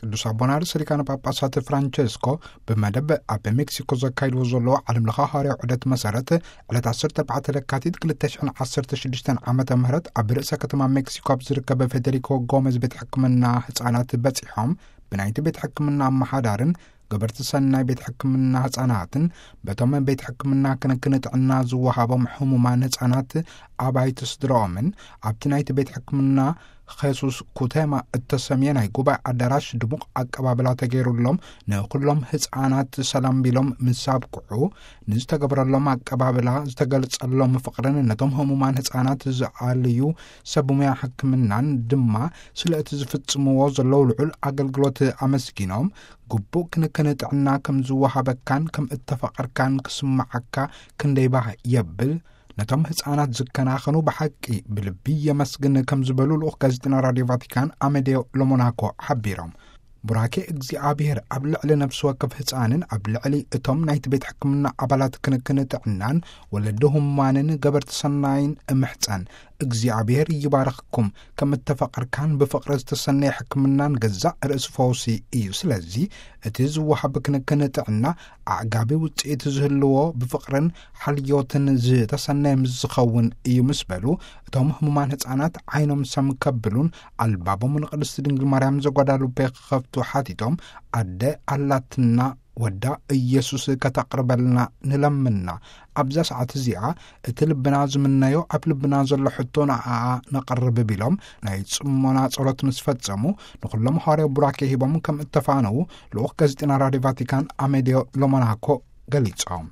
ቅዱስ ኣቦና ርእሰ ሊቃነ ጳጳሳት ፍራንቸስኮ ብመደብ ኣብ ሜክሲኮ ዘካይድዎ ዘለዎ ዓለም ለኸ ሃዋርያዊ ዑደት መሰረት፣ ዕለት ዓሰርተ ኣርባዕተ ለካቲት ክልተ ሽሕን ዓሰርተ ሽዱሽተን ዓመተ ምህረት ኣብ ርእሰ ከተማ ሜክሲኮ ኣብ ዝርከብ ፌዴሪኮ ጎመዝ ቤት ሕክምና ህፃናት በፂሖም፣ ብናይቲ ቤት ሕክምና ኣመሓዳርን ገበርቲ ሰናይ ቤት ሕክምና ህፃናትን፣ በቶም ቤት ሕክምና ክንክን ጥዕና ዝወሃቦም ሕሙማን ህፃናት ኣባይቲ ስድራኦምን፣ ኣብቲ ናይቲ ቤት ሕክምና ኼሱስ ኩተማ እተሰምየ ናይ ጉባኤ ኣዳራሽ ድሙቕ ኣቀባብላ ተገይሩሎም፣ ንኹሎም ህፃናት ሰላም ቢሎም ምስ ኣብቅዑ፣ ንዝተገብረሎም ኣቀባብላ፣ ዝተገልጸሎም ፍቕርን ነቶም ህሙማን ህፃናት ዝኣልዩ ሰብ ሙያ ሕክምናን ድማ ስለ እቲ ዝፍጽምዎ ዘለዉ ልዑል ኣገልግሎት ኣመስጊኖም፣ ግቡእ ክንክን ጥዕና ከም ዝወሃበካን ከም እተፈቐርካን ክስምዓካ ክንደይ ባህ የብል። ነቶም ህፃናት ዝከናኸኑ ብሓቂ ብልቢ የመስግን ከም ዝበሉ ልኡኽ ጋዜጠና ራድዮ ቫቲካን ኣመዴዮ ሎሞናኮ ሓቢሮም። ቡራኬ እግዚኣብሔር ኣብ ልዕሊ ነፍሲ ወከፍ ህፃንን ኣብ ልዕሊ እቶም ናይቲ ቤት ሕክምና ኣባላት ክንክን ጥዕናን ወለዲ ህሙማንን ገበርቲ ሰናይን እምሕፀን። እግዚኣብሔር ይባርኽኩም። ከም እተፈቐርካን ብፍቕሪ ዝተሰነየ ሕክምናን ገዛእ ርእሲ ፈውሲ እዩ። ስለዚ እቲ ዝወሃብ ክንክን ጥዕና ኣዕጋቢ ውፅኢት ዝህልዎ ብፍቕርን ሓልዮትን ዝተሰነየ ምስ ዝኸውን እዩ ምስ በሉ፣ እቶም ህሙማን ህፃናት ዓይኖም ሰም ከብሉን ኣልባቦም ንቅድስቲ ድንግል ማርያም ዘጓዳሉቤ ክኸፍቱ ሓቲቶም፣ ኣደ ኣላትና ወዳ ኢየሱስ ከተቕርበልና ንለምና። ኣብዛ ሰዓት እዚኣ እቲ ልብና ዝምነዮ ኣብ ልብና ዘሎ ሕቶ ንኣኣ ነቕርብ ቢሎም ናይ ጽሞና ጸሎት ምስ ፈጸሙ፣ ንኹሎም ሃዋርያዊ ቡራኬ ሂቦም ከም እተፋነዉ ልኡኽ ጋዜጠና ራድዮ ቫቲካን ኣሜልዮ ሎሞናኮ ገሊጾም።